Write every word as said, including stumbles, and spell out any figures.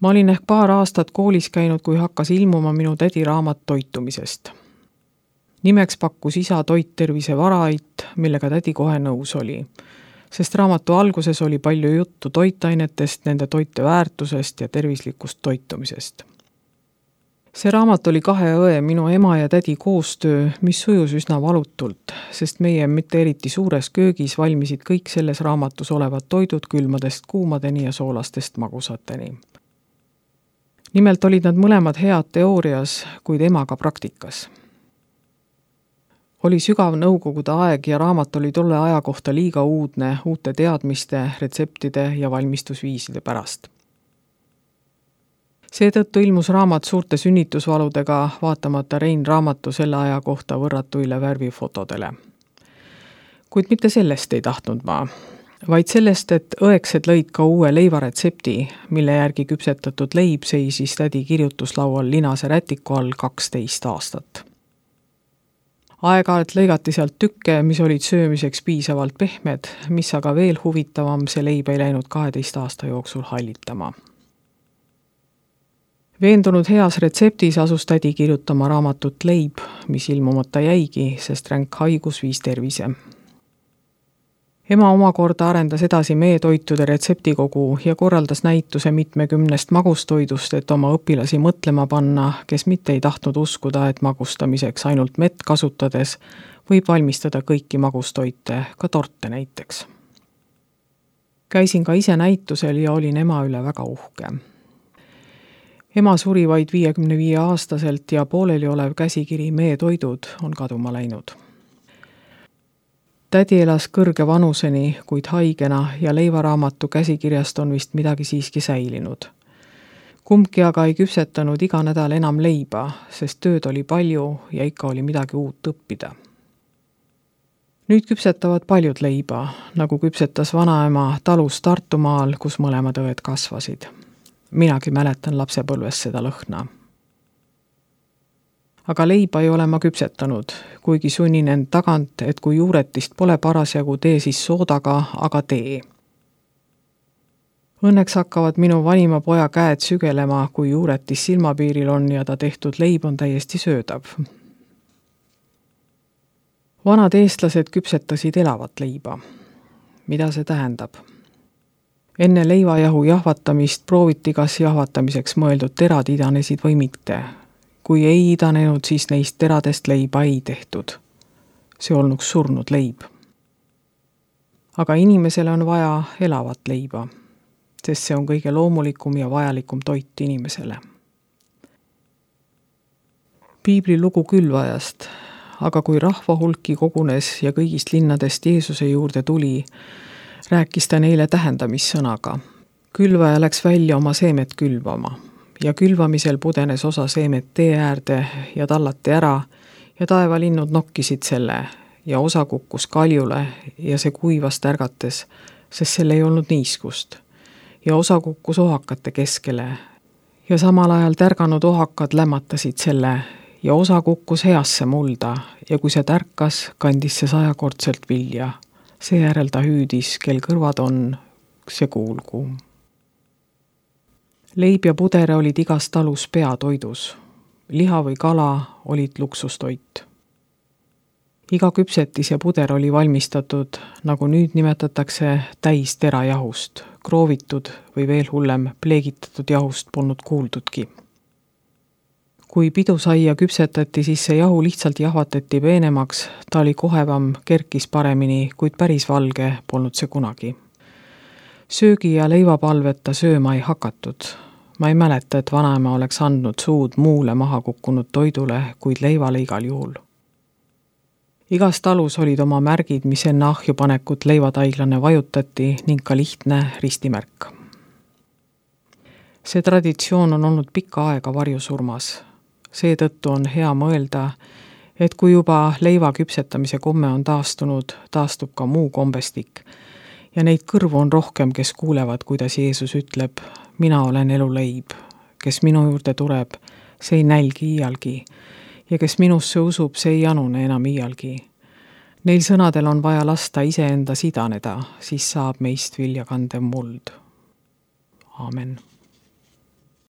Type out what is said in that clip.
Ma olin ehk paar aastat koolis käinud, kui hakkas ilmuma minu tädi raamat toitumisest. Nimeks pakkus isa Toit tervise varait, millega tädi kohe nõus oli, sest raamatu alguses oli palju juttu toitainetest, nende toite väärtusest ja tervislikust toitumisest. See raamat oli kahe õe, minu ema ja tädi koostöö, mis sujus üsna valutult, sest meie mitte eriti suures köögis valmisid kõik selles raamatus olevad toidud külmadest kuumadeni ja soolastest magusateni. Nimelt olid nad mõlemad head teoorias, kuid emaga praktikas. Oli sügav nõukogude aeg ja raamat oli tolle aja kohta liiga uudne uute teadmiste, retseptide ja valmistusviiside pärast. Seetõttu ilmus raamat suurte sünnitusvaludega vaatamata Rein raamatu selle aja kohta võrratuile värvifotodele. Kuid mitte sellest ei tahtnud ma, vaid sellest, et õeksed lõid ka uue leivaretsepti, mille järgi küpsetatud leib seisis tädi kirjutuslaual linase rätiku all kaksteist aastat. Aeg-ajalt lõigati sealt tükke, mis olid söömiseks piisavalt pehmed, mis aga veel huvitavam, see leib ei läinud kaheteist aasta jooksul hallitama. Veendunud heas retseptis asus tädi kirjutama raamatut leib, mis ilmumata jäigi, sest ränk haigus viis tervise. Ema omakorda arendas edasi meetoitude retseptikogu ja korraldas näituse mitmekümnest magustoidust, et oma õpilasi mõtlema panna, kes mitte ei tahtnud uskuda, et magustamiseks ainult mett kasutades võib valmistada kõiki magustoite, ka torte näiteks. Käisin ka ise näitusel ja olin ema üle väga uhke. Ema suri vaid viiekümne viie aastaselt ja pooleli olev käsikiri meetoidud on kaduma läinud. Tädi elas kõrge vanuseni, kuid haigena ja leivaraamatu käsikirjast on vist midagi siiski säilinud. Kumbki aga ei küpsetanud iga nädal enam leiba, sest tööd oli palju ja ikka oli midagi uut õppida. Nüüd küpsetavad paljud leiba, nagu küpsetas vanaema talus Tartumaal, kus mõlemad õed kasvasid. Minagi mäletan lapsepõlves seda lõhna. Aga leiba ei ole ma küpsetanud, kuigi sunnin end tagant, et kui juuretist pole parasjagu, tee siis soodaga, aga tee. Õnneks hakkavad minu vanima poja käed sügelema, kui juuretis silmapiiril on ja ta tehtud leib on täiesti söödav. Vanad eestlased küpsetasid elavat leiba. Mida see tähendab? Enne leivajahu jahvatamist prooviti, kas jahvatamiseks mõeldud terad idanesid või mitte. Kui ei idanenud, siis neist teradest leiba ei tehtud. See olnuks surnud leib. Aga inimesele on vaja elavat leiba, sest see on kõige loomulikum ja vajalikum toit inimesele. Piibli lugu külvajast, aga kui rahva hulki kogunes ja kõigist linnadest Jeesuse juurde tuli, rääkis ta neile tähendamissõnaga. Külvaja läks välja oma seemet külvama ja külvamisel pudenes osa seemet tee äärde ja tallati ära ja taevalinnud nokkisid selle ja osa kukkus kaljule ja see kuivas tärgates, sest selle ei olnud niiskust. Ja osa kukkus ohakate keskele ja samal ajal tärganud ohakad lämmatasid selle ja osa kukkus heasse mulda ja kui see tärkas, kandis see sajakordselt vilja. Seejärel ta hüüdis, kel kõrvad on, see kuulgu. Leib ja pudere olid igas talus peatoidus. Liha või kala olid luksustoit. Iga küpsetis ja puder oli valmistatud, nagu nüüd nimetatakse, täis terajahust, kroovitud või veel hullem, pleegitatud jahust polnud kuuldudki. Kui pidusaia küpsetati, siis see jahu lihtsalt jahvatati peenemaks, ta oli kohevam, kerkis paremini, kuid päris valge polnud see kunagi. Söögi ja leivapalveta sööma ei hakatud. Ma ei mäleta, et vanaema oleks andnud suud muule maha kukkunud toidule, kuid leivale igal juhul. Igas talus olid oma märgid, mis enne ahjupanekut leivataiglane vajutati ning ka lihtne ristimärk. See traditsioon on olnud pikka aega varjusurmas. Seetõttu on hea mõelda, et kui juba leiva küpsetamise komme on taastunud, taastub ka muu kombestik. Ja neid kõrvu on rohkem, kes kuulevad, kuidas Jeesus ütleb, mina olen elu leib, kes minu juurde tuleb, see ei nälgi iialgi, ja kes minusse usub, see ei janune enam iialgi. Neil sõnadel on vaja lasta iseenda sidaneda, siis saab meist viljakandev muld. Aamen.